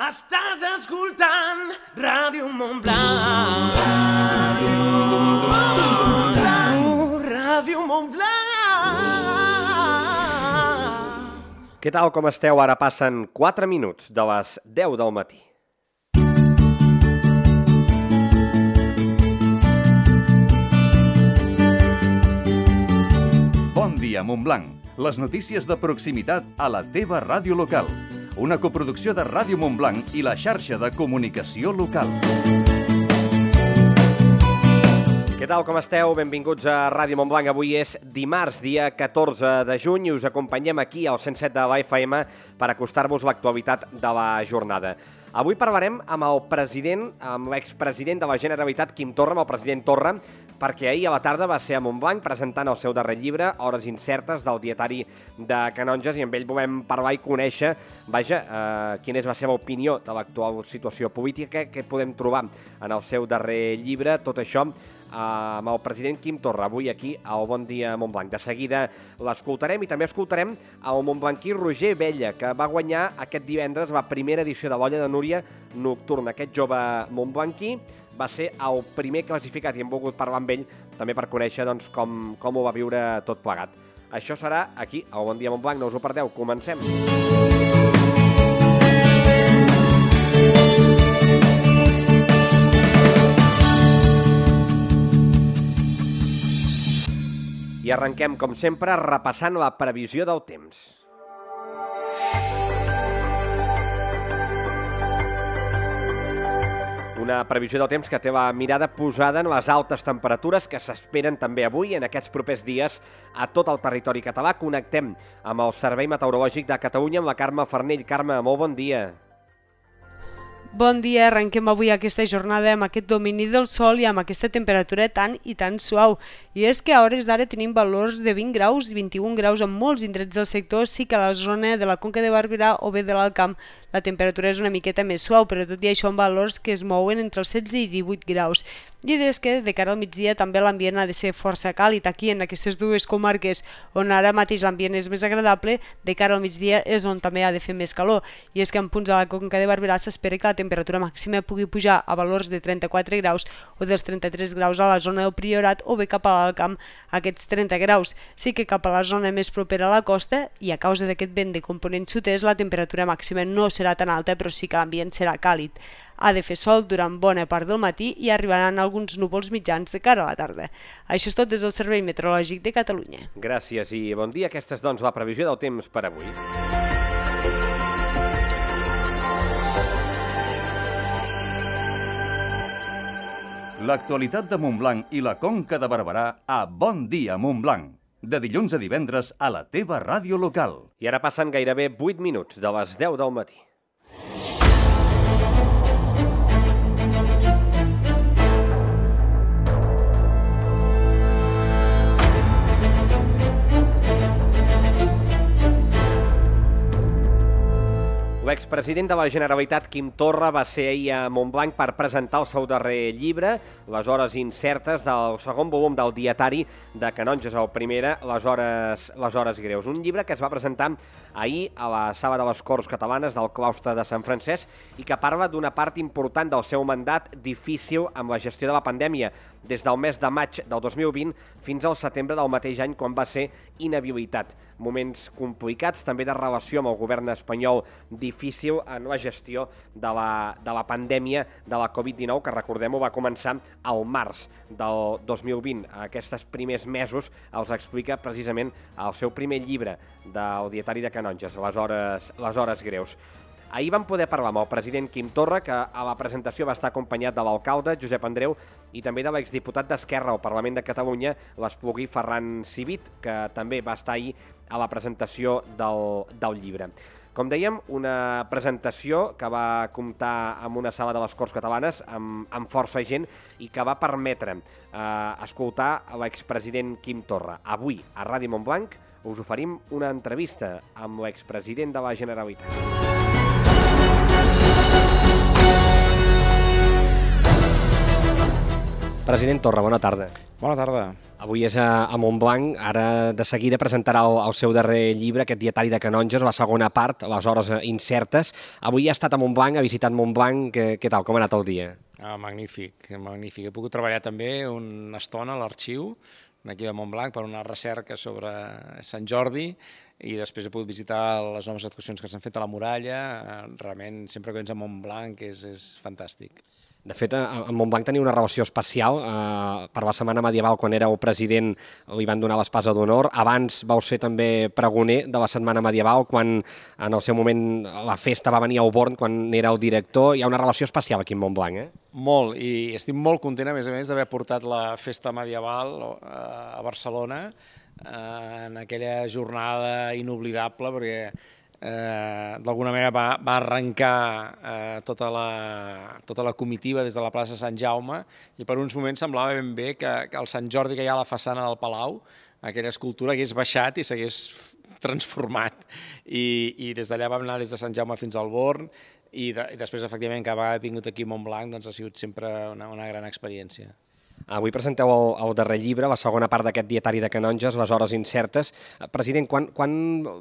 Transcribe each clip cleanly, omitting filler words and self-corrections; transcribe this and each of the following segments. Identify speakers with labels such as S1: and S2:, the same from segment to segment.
S1: Estàs escoltant Ràdio Montblanc. Ràdio Montblanc.
S2: Què tal, com esteu? Ara passen 4 minuts de les 10 del matí.
S3: Bon dia, Montblanc. Les notícies de proximitat a la teva ràdio local. Una coproducció de Ràdio Montblanc i la xarxa de comunicació local.
S2: Què tal, com esteu? Benvinguts a Ràdio Montblanc. Avui és dimarts, dia 14 de juny, i us acompanyem aquí al 107 de la FM per acostar-vos l'actualitat de la jornada. Avui parlarem amb el president, amb l'expresident de la Generalitat, Quim Torra, amb el president Torra, perquè ahir a la tarda va ser a Montblanc presentant el seu darrer llibre, Hores incertes, del dietari de Canonges, i amb ell volem parlar i conèixer, quina és la seva opinió de l'actual situació política, què podem trobar en el seu darrer llibre, tot això amb el president Quim Torra, avui aquí al Bon Dia Montblanc. De seguida l'escoltarem i també escoltarem el montblanquí Roger Vella, que va guanyar aquest divendres la primera edició de l'Olla de Núria Nocturna. Aquest jove montblanquí va ser el primer classificat i hem volgut parlar amb ell també per conèixer com ho va viure tot plegat. Això serà aquí al Bon Dia Montblanc, no us ho perdeu, comencem! I arrenquem, com sempre, repassant la previsió del temps. Una previsió del temps que té la mirada posada en les altes temperatures que s'esperen també avui en aquests propers dies a tot el territori català. Connectem amb el Servei Meteorològic de Catalunya amb la Carme Farnell. Carme, molt bon dia.
S4: Bon dia, arrenquem avui aquesta jornada amb aquest domini del sol i amb aquesta temperatura tan i tan suau. I és que a hores d'ara tenim valors de 20 graus i 21 graus en molts indrets del sector, sí que a la zona de la Conca de Barberà o bé de l'Alt Camp la temperatura és una miqueta més suau, però tot i això en valors que es mouen entre els 16 i 18 graus. I és que de cara al migdia també l'ambient ha de ser força càlid aquí en aquestes dues comarques on ara mateix l'ambient és més agradable, de cara al migdia és on també ha de fer més calor. I és que en punts de la Conca de Barberà s'espera que la temperatura màxima pugui pujar a valors de 34 graus o dels 33 graus a la zona del Priorat o bé cap a l'Alt Camp aquests 30 graus. Sí que cap a la zona més propera a la costa i a causa d'aquest vent de component sud-est la temperatura màxima no serà tan alta, però sí que l'ambient serà càlid. Ha de fer sol durant bona part del matí i arribaran alguns núvols mitjans de cara a la tarda. Això és tot des del Servei Meteorològic de Catalunya.
S2: Gràcies i bon dia. Aquesta és, la previsió del temps per avui.
S3: L'actualitat de Montblanc i la Conca de Barberà a Bon Dia Montblanc. De dilluns a divendres a la teva ràdio local.
S2: I ara passen gairebé 8 minuts de les 10 del matí. L'expresident de la Generalitat, Quim Torra, va ser ahir a Montblanc per presentar el seu darrer llibre, Les hores incertes, del segon volum del dietari de Canonges, el primera, Les hores greus. Un llibre que es va presentar ahir a la Sala de les Corts Catalanes del claustre de Sant Francesc i que parla d'una part important del seu mandat difícil amb la gestió de la pandèmia, des del mes de maig del 2020 fins al setembre del mateix any, quan va ser inhabilitat. Moments complicats, també de relació amb el govern espanyol, difícil en la gestió de la pandèmia de la Covid-19, que recordem-ho va començar al març del 2020. Aquests primers mesos els explica precisament el seu primer llibre del dietari de Canonges, Les hores greus. Ahir vam poder parlar amb el president Quim Torra, que a la presentació va estar acompanyat de l'alcalde Josep Andreu i també de l'exdiputat d'Esquerra al Parlament de Catalunya, l'Espluguí Ferran Civit, que també va estar ahir a la presentació del llibre. Com dèiem, una presentació que va comptar amb una sala de les Corts Catalanes amb força gent i que va permetre escoltar l'expresident Quim Torra. Avui, a Ràdio Montblanc, us oferim una entrevista amb l'expresident de la Generalitat. President Torra, bona tarda.
S5: Bona tarda.
S2: Avui és a Montblanc, ara de seguida presentarà el seu darrer llibre, aquest dietari de canonges, la segona part, les hores incertes. Avui ha estat a Montblanc, ha visitat Montblanc, què tal, com ha anat el dia?
S5: Magnífic, magnífic. He pogut treballar també una estona a l'arxiu d'aquí de Montblanc per una recerca sobre Sant Jordi i després he pogut visitar les noves actuacions que s'han fet a la muralla. Realment, sempre que vens a Montblanc és fantàstic.
S2: De fet, a Montblanc tenia una relació especial. Per la Setmana Medieval, quan éreu president, li van donar l'espasa d'honor. Abans vau ser també pregoner de la Setmana Medieval, quan en el seu moment la festa va venir a Auborn, quan era el director. Hi ha una relació especial aquí a Montblanc, eh?
S5: Molt, i estic molt content, a més, d'haver portat la festa medieval a Barcelona en aquella jornada inoblidable, perquè d'alguna manera va arrencar tota la comitiva des de la plaça Sant Jaume i per uns moments semblava ben bé que el Sant Jordi que hi ha a la façana del Palau, aquella escultura, hagués baixat i s'hagués transformat. I des d'allà vam anar des de Sant Jaume fins al Born i després, efectivament, que ha vingut aquí a Montblanc, doncs ha sigut sempre una gran experiència.
S2: Avui presenteu el darrer llibre, la segona part d'aquest dietari de canonges, les hores incertes. President, quan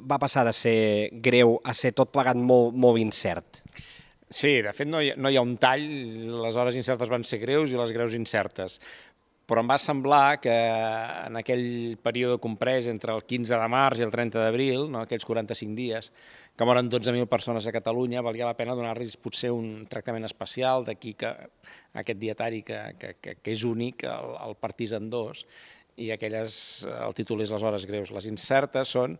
S2: va passar de ser greu a ser tot plegat molt incert?
S5: Sí, de fet no hi ha un tall, les hores incertes van ser greus i les greus incertes, però em va semblar que en aquell període comprès entre el 15 de març i el 30 d'abril, aquells 45 dies, que moren 12.000 persones a Catalunya, valia la pena donar-los potser un tractament especial, d'aquí que aquest dietari que és únic, el partís en dos, i el títol és Les hores greus. Les incertes són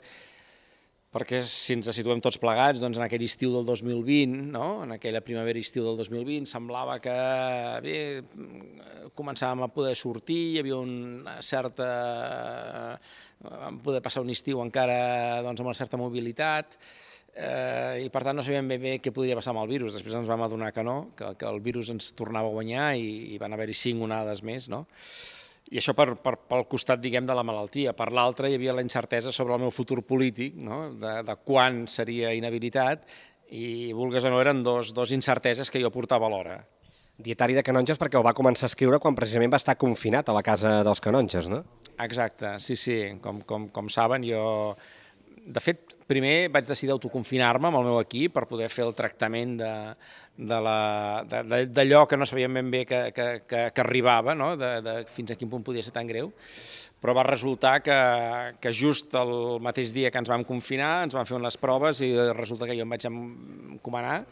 S5: perquè si ens situem tots plegats, doncs en aquell estiu del 2020, en aquella primavera i estiu del 2020, semblava que bé, començàvem a poder sortir, hi havia una certa... vam poder passar un estiu encara amb una certa mobilitat, i per tant no sabíem ben bé què podria passar amb el virus. Després ens vam adonar que no, que el virus ens tornava a guanyar i van haver-hi 5 onades més, no? I això pel costat, diguem, de la malaltia. Per l'altre, hi havia la incertesa sobre el meu futur polític, de quan seria inhabilitat, i, vulgues o no, eren dos incerteses que jo portava alhora.
S2: Dietari de canonges perquè ho va començar a escriure quan precisament va estar confinat a la casa dels canonges, no?
S5: Exacte, sí. Com saben, jo... De fet, primer vaig decidir autoconfinar-me amb el meu equip per poder fer el tractament d'allò que no sabíem ben bé que arribava, fins a quin punt podia ser tan greu, però va resultar que just el mateix dia que ens vam confinar ens van fer unes proves i resulta que jo em vaig encomanar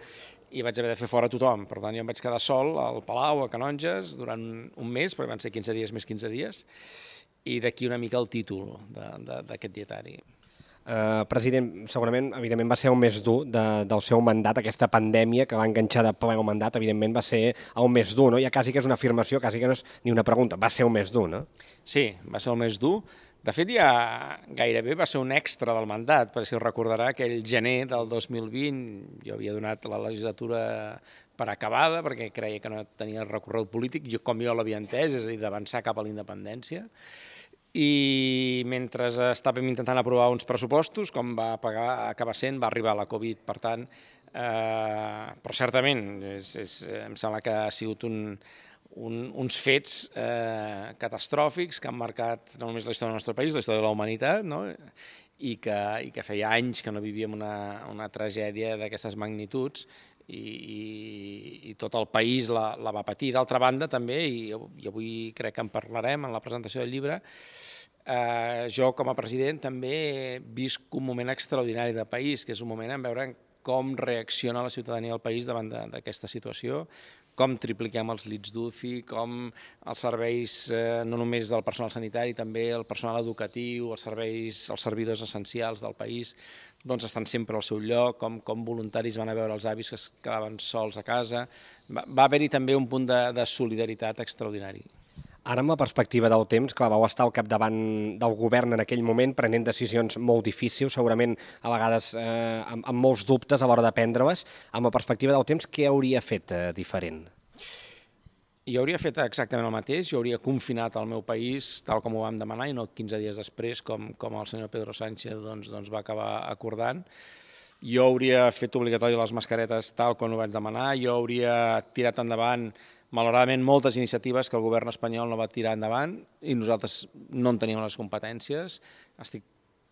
S5: i vaig haver de fer fora tothom. Per tant, jo em vaig quedar sol al Palau, a Canonges, durant un mes, perquè van ser 15 dies més 15 dies, i d'aquí una mica el títol d'aquest dietari.
S2: President, segurament, evidentment, va ser el més dur del seu mandat, aquesta pandèmia que va enganxar de ple el mandat, evidentment va ser el més dur, no? Ja quasi que és una afirmació, quasi que no és ni una pregunta, va ser el més dur, no?
S5: Sí, va ser el més dur. De fet, ja gairebé va ser un extra del mandat, perquè si us recordarà que el gener del 2020 jo havia donat la legislatura per acabada, perquè creia que no tenia recorregut polític, com jo l'havia entès, és a dir, d'avançar cap a la independència. I mentre estàvem intentant aprovar uns pressupostos, com va acabar sent, va arribar la Covid. Per tant, però certament, em sembla que ha sigut uns fets catastròfics que han marcat no només la història del nostre país, la història de la humanitat, i que feia anys que no vivíem una tragèdia d'aquestes magnituds i tot el país la va patir. D'altra banda, també, i avui crec que en parlarem en la presentació del llibre, jo com a president també visc un moment extraordinari de país, que és un moment en veure com reacciona la ciutadania del país davant d'aquesta situació, com tripliquem els llits d'UCI, com els serveis, no només del personal sanitari, també el personal educatiu, els servidors essencials del país, doncs estan sempre al seu lloc, com voluntaris van a veure els avis que es quedaven sols a casa. Va haver-hi també un punt de solidaritat extraordinari.
S2: Ara, amb la perspectiva del temps, que vau estar al capdavant del govern en aquell moment, prenent decisions molt difícils, segurament a vegades amb molts dubtes a l'hora de prendre-les, amb la perspectiva del temps, què hauria fet diferent?
S5: Jo hauria fet exactament el mateix, jo hauria confinat el meu país tal com ho vam demanar i no 15 dies després, com el senyor Pedro Sánchez va acabar acordant. Jo hauria fet obligatori les mascaretes tal com ho vaig demanar, jo hauria tirat endavant malauradament, moltes iniciatives que el govern espanyol no va tirar endavant i nosaltres no en teníem les competències. Estic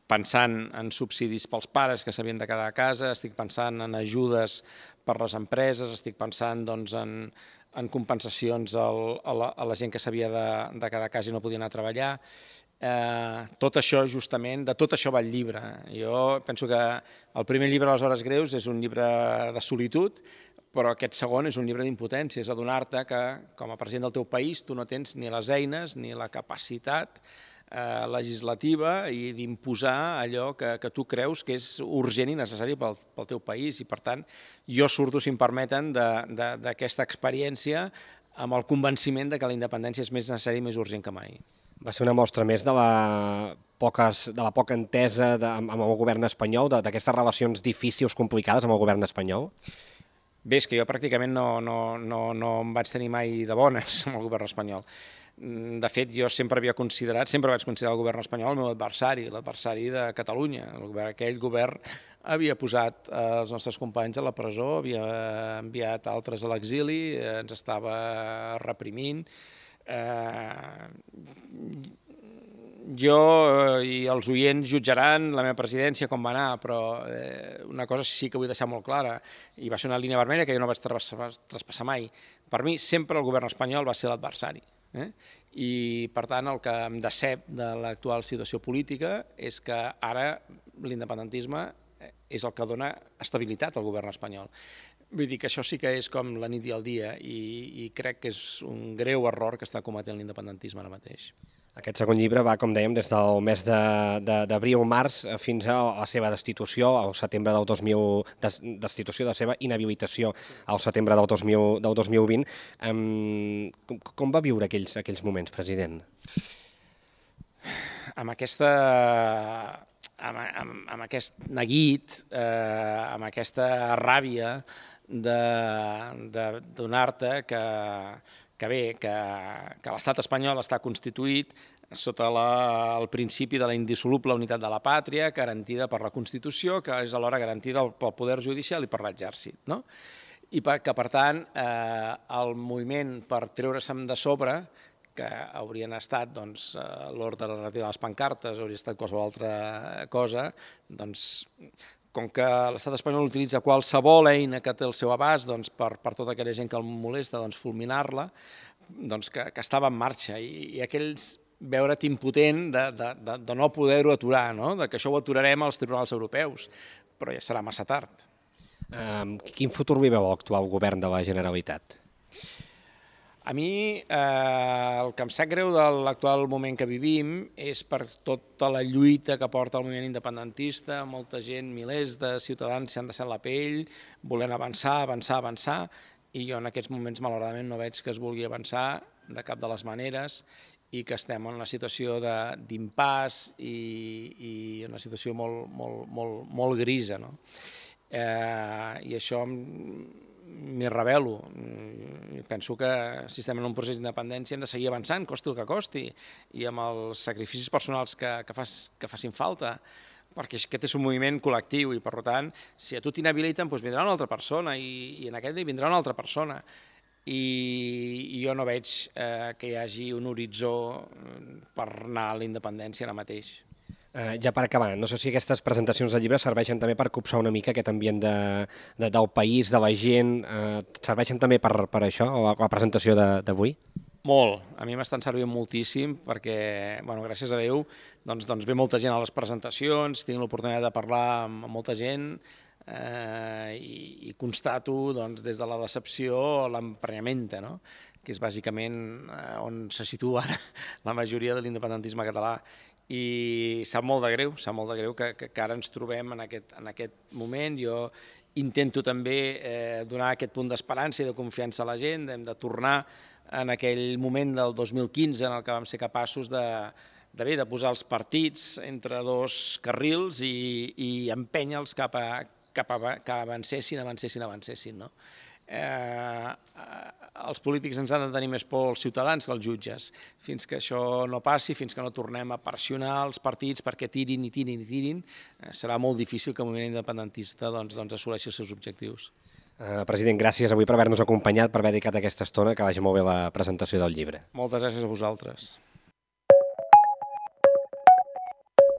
S5: pensant en subsidis pels pares que s'havien de quedar a casa, estic pensant en ajudes per les empreses, estic pensant doncs, en compensacions a la gent que s'havia de quedar a casa i no podia anar a treballar. Tot això, justament, de tot això va el llibre. Jo penso que el primer llibre, Les hores greus, és un llibre de solitud, però aquest segon és un llibre d'impotència, és adonar-te que, com a president del teu país, tu no tens ni les eines ni la capacitat legislativa i d'imposar allò que tu creus que és urgent i necessari pel teu país. I, per tant, jo surto, si em permeten, d'aquesta experiència amb el convenciment que la independència és més necessària i més urgent que mai.
S2: Va ser una mostra més de la poca entesa amb el govern espanyol, d'aquestes relacions difícils, complicades amb el govern espanyol?
S5: Bé, és que jo pràcticament no em vaig tenir mai de bones amb el govern espanyol. De fet, jo sempre vaig considerar el govern espanyol el meu adversari, l'adversari de Catalunya. Aquell govern havia posat els nostres companys a la presó, havia enviat altres a l'exili, ens estava reprimint. Jo i els oients jutjaran la meva presidència com va anar, però una cosa sí que vull deixar molt clara, i va ser una línia vermella que jo no vaig traspassar mai. Per mi sempre el govern espanyol va ser l'adversari. I, per tant, el que em decep de l'actual situació política és que ara l'independentisme és el que dona estabilitat al govern espanyol. Vull dir que això sí que és com la nit i el dia i crec que és un greu error que està cometent l'independentisme ara mateix.
S2: Aquest segon llibre va, com dèiem, des del mes d'abril-març fins a la seva destitució, al setembre del 2000, destitució de la seva inhabilitació al setembre del 2020. Com va viure aquells moments, president?
S5: Amb aquest neguit, amb aquesta ràbia de donar-te que l'estat espanyol està constituït sota el principi de la indissoluble unitat de la pàtria, garantida per la Constitució, que és alhora garantida pel poder judicial i per l'exèrcit, no? I que, per tant, el moviment per treure-se'm de sobre, que haurien estat l'ordre de retirar les pancartes, hauria estat qualsevol altra cosa, doncs, com que l'estat espanyol utilitza qualsevol eina que té al seu abast per tota aquella gent que el molesta, fulminar-la, que estava en marxa. I aquells veure't impotent de no poder-ho aturar, que això ho aturarem als tribunals europeus, però ja serà massa tard.
S2: Quin futur li veu l'actual govern de la Generalitat?
S5: A mi el que em sap greu de l'actual moment que vivim és per tota la lluita que porta el moviment independentista, molta gent, milers de ciutadans s'han deixat la pell, volent avançar, i jo en aquests moments malauradament no veig que es vulgui avançar de cap de les maneres i que estem en una situació d'impàs i una situació molt grisa. I això m'hi rebel·lo. Penso que si estem en un procés d'independència hem de seguir avançant, costi el que costi, i amb els sacrificis personals que facin falta, perquè aquest és un moviment col·lectiu i, per tant, si a tu t'inhabiliten, vindrà una altra persona i en aquest dia vindrà una altra persona. I jo no veig que hi hagi un horitzó per anar a la independència ara mateix.
S2: Ja per acabar, no sé si aquestes presentacions de llibres serveixen també per copsar una mica aquest ambient del país, de la gent, serveixen també per això, la presentació d'avui?
S5: Molt, a mi m'estan servint moltíssim perquè, gràcies a Déu, ve molta gent a les presentacions, tinc l'oportunitat de parlar amb molta gent i constato des de la decepció a l'emprenyament, que és bàsicament on se situa ara la majoria de l'independentisme català. I sap molt de greu que ara ens trobem en aquest moment. Jo intento també donar aquest punt d'esperança i de confiança a la gent, hem de tornar en aquell moment del 2015 en el que vam ser capaços de posar els partits entre dos carrils i empènyer-los cap a que avancessin. Els polítics ens han de tenir més por els ciutadans que els jutges. Fins que això no passi, fins que no tornem a pressionar els partits perquè tirin, serà molt difícil que el moviment independentista assoleixi els seus objectius.
S2: President, gràcies avui per haver-nos acompanyat, per haver dedicat aquesta estona, que vagi molt bé la presentació del llibre.
S5: Moltes gràcies a vosaltres.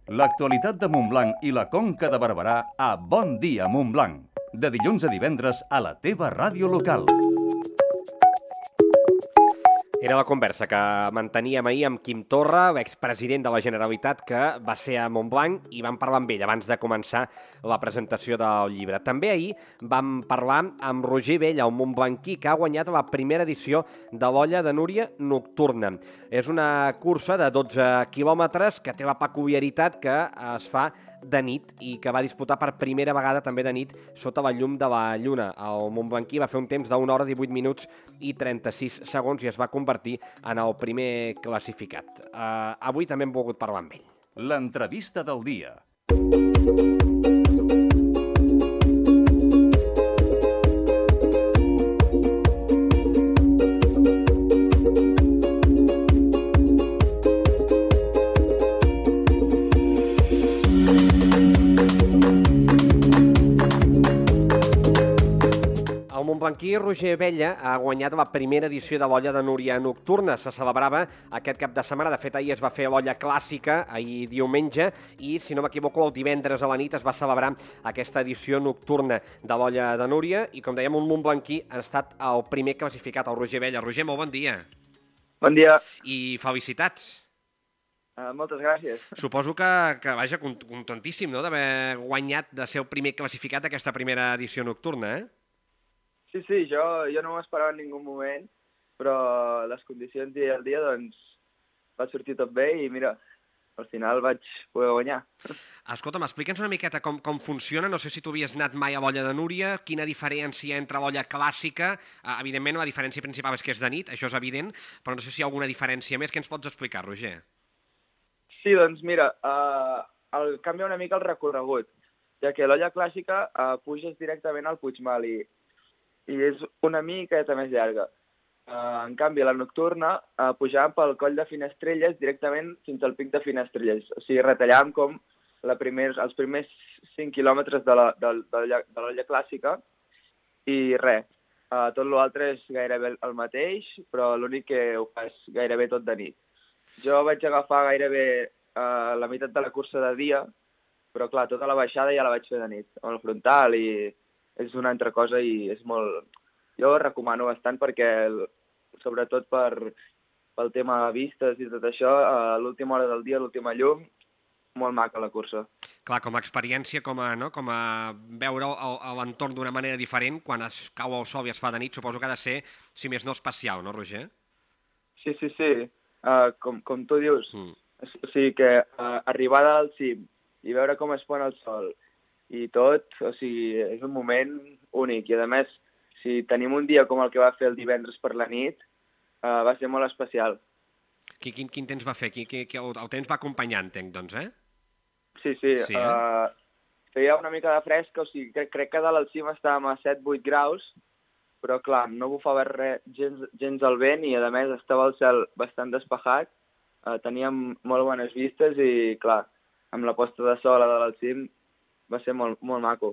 S3: L'actualitat de Montblanc i la Conca de Barberà a Bon Dia Montblanc. De dilluns a divendres a la teva ràdio local.
S2: Era la conversa que manteníem ahir amb Quim Torra, l'expresident de la Generalitat, que va ser a Montblanc, i vam parlar amb ell abans de començar la presentació del llibre. També ahir vam parlar amb Roger Vella, un montblanquí que ha guanyat la primera edició de l'Olla de Núria Nocturna. És una cursa de 12 quilòmetres que té la peculiaritat que es fa de nit i que va disputar per primera vegada també de nit sota la llum de la lluna. El montblanquí va fer un temps d'1 hora, 18 minuts i 36 segons i es va convertir en el primer classificat. Avui també hem volgut parlar amb ell.
S3: L'entrevista del dia.
S2: El montblanquí Roger Vella ha guanyat la primera edició de l'Olla de Núria Nocturna. Se celebrava aquest cap de setmana. De fet, ahir es va fer l'Olla Clàssica, ahir diumenge, i, si no m'equivoco, el divendres a la nit es va celebrar aquesta edició nocturna de l'Olla de Núria. I, com dèiem, un montblanquí ha estat el primer classificat, el Roger Vella. Roger, molt bon dia.
S6: Bon dia.
S2: I felicitats.
S6: Moltes gràcies.
S2: Suposo que vaja, contentíssim, no?, d'haver guanyat, de ser el primer classificat aquesta primera edició nocturna, eh?
S6: Sí, jo no m'ho esperava en ningú moment, però les condicions i el dia, doncs, va sortir tot bé i, mira, al final vaig poder guanyar.
S2: Escolta'm, explica'ns una miqueta com funciona. No sé si tu havies anat mai a l'Olla de Núria, quina diferència entre l'Olla clàssica. Evidentment, la diferència principal és que és de nit, això és evident, però no sé si hi ha alguna diferència més. Què ens pots explicar, Roger?
S6: Sí, doncs, mira, canvia una mica el recorregut, ja que l'Olla clàssica puges directament al Puigmal i és una miqueta més llarga. En canvi, la nocturna pujàvem pel coll de Finestrelles directament fins al pic de Finestrelles. O sigui, retallàvem com els primers 5 quilòmetres de l'Olla clàssica i res. Tot l'altre és gairebé el mateix, però l'únic que ho fas gairebé tot de nit. Jo vaig agafar gairebé la meitat de la cursa de dia, però clar, tota la baixada ja la vaig fer de nit, amb el frontal, i és una altra cosa i és molt... Jo ho recomano bastant perquè, sobretot pel tema de vistes i tot això, a l'última hora del dia, a l'última llum, molt maca la cursa.
S2: Clar, com a experiència, com a veure l'entorn d'una manera diferent, quan es cau el sol i es fa de nit, suposo que ha de ser, si més no, especial, no, Roger?
S6: Sí. Com tu dius. O sigui que arribar al cim i veure com es pon el sol i tot, o sigui, és un moment únic. I, a més, si tenim un dia com el que va fer el divendres per la nit, va ser molt especial.
S2: Quin temps va fer? El temps va acompanyar, entenc, doncs, eh?
S6: Sí. Feia una mica de fresca, o sigui, crec que dalt al cim estàvem a 7-8 graus, però, clar, no bufava gens el vent i, a més, estava el cel bastant despejat, teníem molt bones vistes i, clar, amb la posta de sol a dalt al cim va ser molt maco.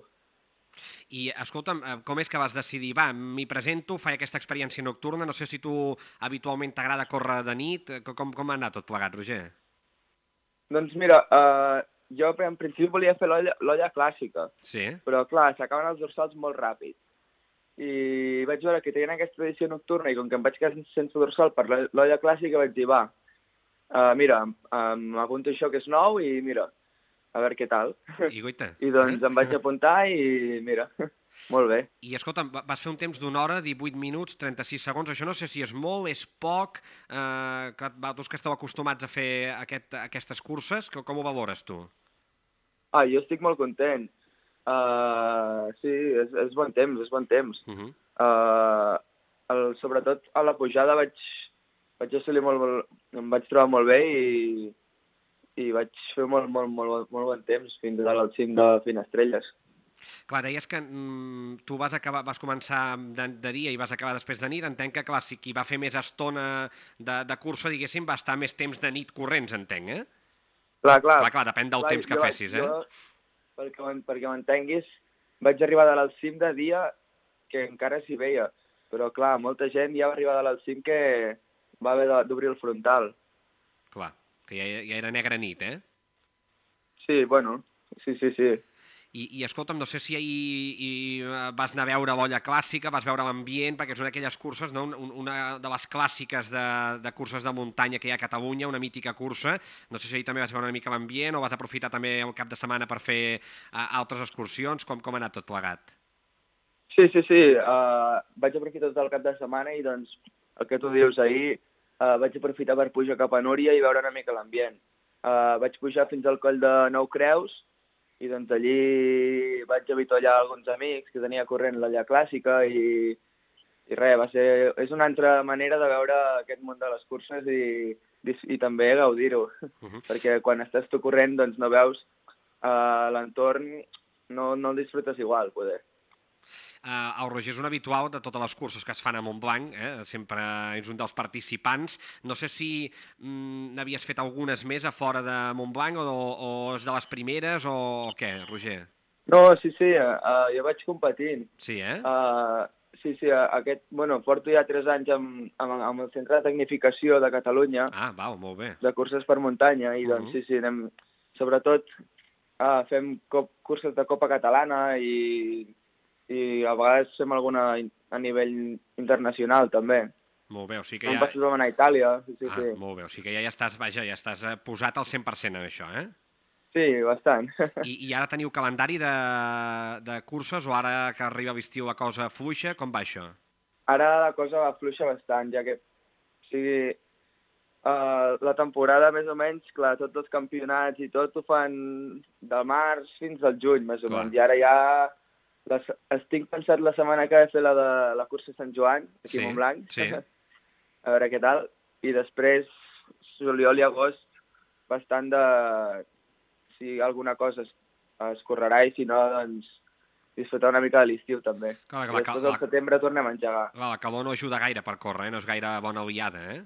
S2: I, escolta'm, com és que vas decidir? Va, m'hi presento, faig aquesta experiència nocturna, no sé si tu habitualment t'agrada córrer de nit, com ha anat tot plegat, Roger?
S6: Doncs mira, jo en principi volia fer l'olla clàssica,
S2: sí.
S6: Però clar, s'acaben els dorsals molt ràpid. I vaig veure que tenien aquesta edició nocturna i com que em vaig quedar sense dorsal per l'olla clàssica vaig dir, va, mira, m'apunto això que és nou i mira, a veure què tal. I doncs em vaig apuntar i mira, molt bé.
S2: I escolta'm, vas fer un temps d'1 hora, 18 minuts, 36 segons. Això no sé si és molt, és poc, vosaltres que esteu acostumats a fer aquestes curses, com ho valores tu?
S6: Jo estic molt content. Sí, és bon temps. Sobretot a la pujada vaig assolir em vaig trobar molt bé i vaig fer molt bon temps fins al cim de Finestrelles.
S2: Clar, deies que tu vas començar de dia i vas acabar després de nit. Entenc que, clar, si qui va fer més estona de cursa, diguéssim, va estar més temps de nit corrents, entenc, eh? Clar, depèn del temps que fessis, eh?
S6: Perquè m'entenguis, vaig arribar al cim de dia que encara s'hi veia. Però, clar, molta gent ja va arribar al cim que va haver d'obrir el frontal.
S2: Clar, que ja era negra nit, eh?
S6: Sí, bueno, sí.
S2: I escolta'm, no sé si ahir vas anar a veure l'olla clàssica, vas veure l'ambient, perquè és una d'aquelles curses, no? Una de les clàssiques de curses de muntanya que hi ha a Catalunya, una mítica cursa. No sé si ahir també vas veure una mica l'ambient o vas aprofitar també el cap de setmana per fer altres excursions. Com ha anat tot plegat?
S6: Sí. Vaig aprofitar tot el cap de setmana i, doncs, el que tu dius, ahir vaig aprofitar per pujar cap a Núria i veure una mica l'ambient. Vaig pujar fins al coll de Nou Creus i, doncs, allí vaig avitollar alguns amics que tenia corrent l'olla clàssica i res, és una altra manera de veure aquest món de les curses i també gaudir-ho. Perquè quan estàs tu corrent, doncs, no veus l'entorn, no el disfrutes igual, poder.
S2: El Roger és un habitual de totes les curses que es fan a Montblanc, sempre és un dels participants. No sé si n'havies fet algunes més a fora de Montblanc o és de les primeres o què, Roger?
S6: No, sí, jo vaig competint.
S2: Sí, eh?
S6: Sí, porto ja 3 anys amb el Centre de Tecnificació de Catalunya.
S2: Ah, val, molt bé.
S6: De curses per muntanya i, doncs, sí, anem, sobretot fem curses de Copa Catalana i a vegades fem alguna a nivell internacional, també.
S2: Molt bé, o sigui que
S6: ja... Vam anar a Itàlia, sí.
S2: Molt bé, o sigui que ja estàs posat al 100% en això, eh?
S6: Sí, bastant.
S2: I ara teniu calendari de curses o ara que arriba l'estiu la cosa fluixa? Com va això?
S6: Ara la cosa va fluixa bastant, ja que, o sigui, la temporada, més o menys, clar, tots els campionats i tot ho fan del març fins al juny, més o menys, i ara ja... Estic pensat la setmana que ve fer la de la cursa Sant Joan, aquí a Montblanc, a veure què tal, i després juliol i agost bastant de... si alguna cosa es correrà i si no, doncs disfrutar una mica de l'estiu també. I després al setembre tornem a engegar.
S2: La calor no ajuda gaire per córrer, no és gaire bona aliada, eh?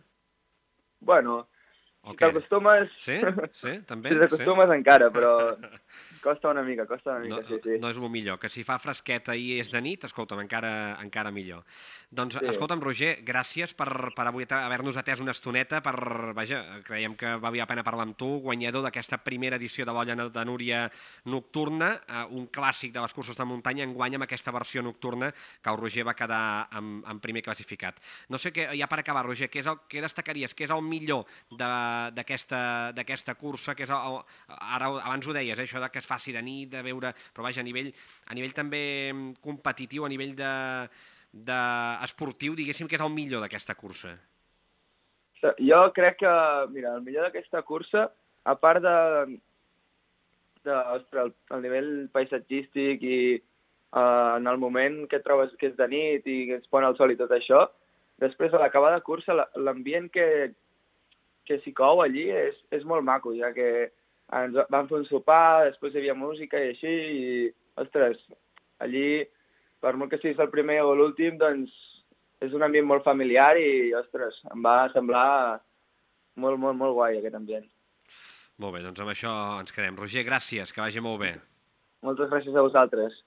S6: Bueno, si t'acostumes...
S2: Sí, també?
S6: Si t'acostumes encara, però... Costa una mica, sí.
S2: No és el millor, que si fa fresqueta i és de nit, escolta'm, encara millor. Doncs, escolta'm, Roger, gràcies per avui haver-nos atès una estoneta, creiem que valia la pena parlar amb tu, guanyador d'aquesta primera edició de l'Olla de Núria nocturna, un clàssic de les curses de muntanya, enguany amb aquesta versió nocturna que el Roger va quedar en primer classificat. No sé, ja per acabar, Roger, què destacaries? Què és el millor d'aquesta cursa? Ara abans ho deies, això que es faci de nit, de veure, però vaja, a nivell també competitiu, a nivell esportiu, diguéssim que és el millor d'aquesta cursa.
S6: Jo crec que, mira, el millor d'aquesta cursa, a part el nivell paisatgístic i en el moment que trobes que és de nit i que es pon el sol i tot això, després a l'acabar de cursa l'ambient que s'hi cou allí és molt maco, ja que ens vam fer un sopar, després hi havia música i així, i, ostres, allí, per molt que siguis el primer o l'últim, doncs és un ambient molt familiar i, ostres, em va semblar molt, molt, molt guai aquest ambient.
S2: Molt bé, doncs amb això ens quedem. Roger, gràcies, que vagi molt bé.
S6: Moltes gràcies a vosaltres.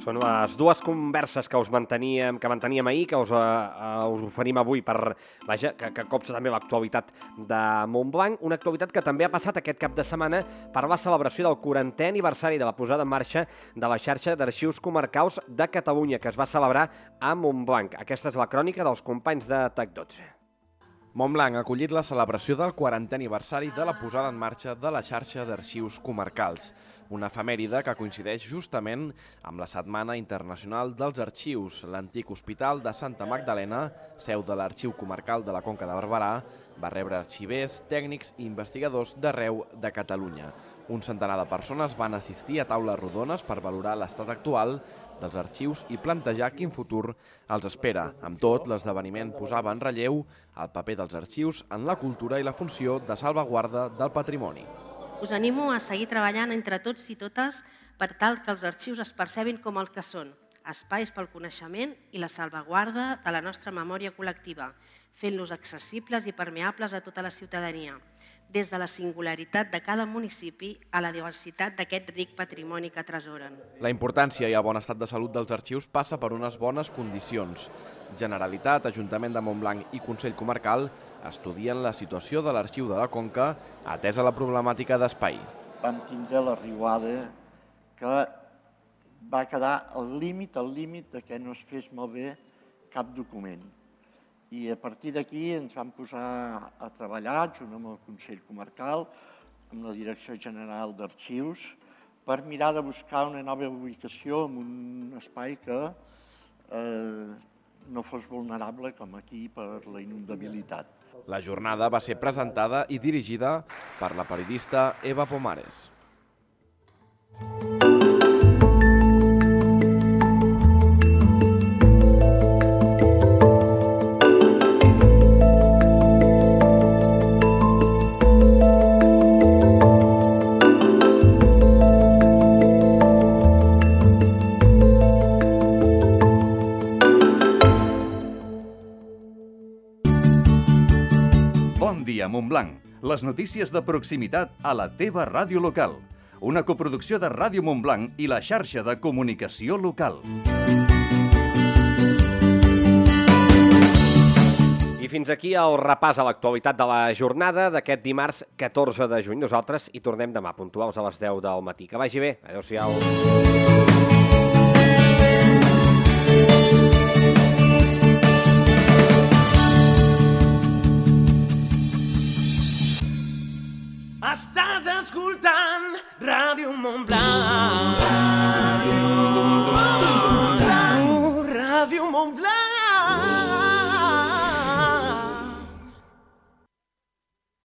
S2: Són les dues converses que manteníem ahir, que us oferim avui per, que copsa també l'actualitat de Montblanc, una actualitat que també ha passat aquest cap de setmana per la celebració del 40è aniversari de la posada en marxa de la xarxa d'arxius comarcals de Catalunya, que es va celebrar a Montblanc. Aquesta és la crònica dels companys de TAC12.
S7: Montblanc ha acollit la celebració del 40è aniversari de la posada en marxa de la xarxa d'arxius comarcals, una efemèride que coincideix justament amb la Setmana Internacional dels Arxius. L'antic hospital de Santa Magdalena, seu de l'Arxiu Comarcal de la Conca de Barberà, va rebre arxivers, tècnics i investigadors d'arreu de Catalunya. Un centenar de persones van assistir a taules rodones per valorar l'estat actual dels arxius i plantejar quin futur els espera. Amb tot, l'esdeveniment posava en relleu el paper dels arxius en la cultura i la funció de salvaguarda del patrimoni.
S8: Us animo a seguir treballant entre tots i totes per tal que els arxius es percebin com el que són, espais pel coneixement i la salvaguarda de la nostra memòria col·lectiva, fent-los accessibles i permeables a tota la ciutadania. des de la singularitat de cada municipi a la diversitat d'aquest ric patrimoni que atesoren.
S7: La importància i el bon estat de salut dels arxius passa per unes bones condicions. Generalitat, Ajuntament de Montblanc i Consell Comarcal estudien la situació de l'Arxiu de la Conca atesa la problemàtica d'espai.
S9: Vam tindre la riuada que va quedar al límit de que no es fes malbé cap document. I a partir d'aquí ens vam posar a treballar, junt amb el Consell Comarcal, amb la Direcció General d'Arxius, per mirar de buscar una nova ubicació en un espai que no fos vulnerable com aquí per la inundabilitat.
S7: La jornada va ser presentada i dirigida per la periodista Eva Pomares.
S3: Bon dia, Montblanc. Les notícies de proximitat a la teva ràdio local. Una coproducció de Ràdio Montblanc i la xarxa de comunicació local.
S2: I fins aquí el repàs a l'actualitat de la jornada d'aquest dimarts 14 de juny. Nosaltres hi tornem demà, puntuals a les 10 del matí. Que vagi bé. Adéu-siau.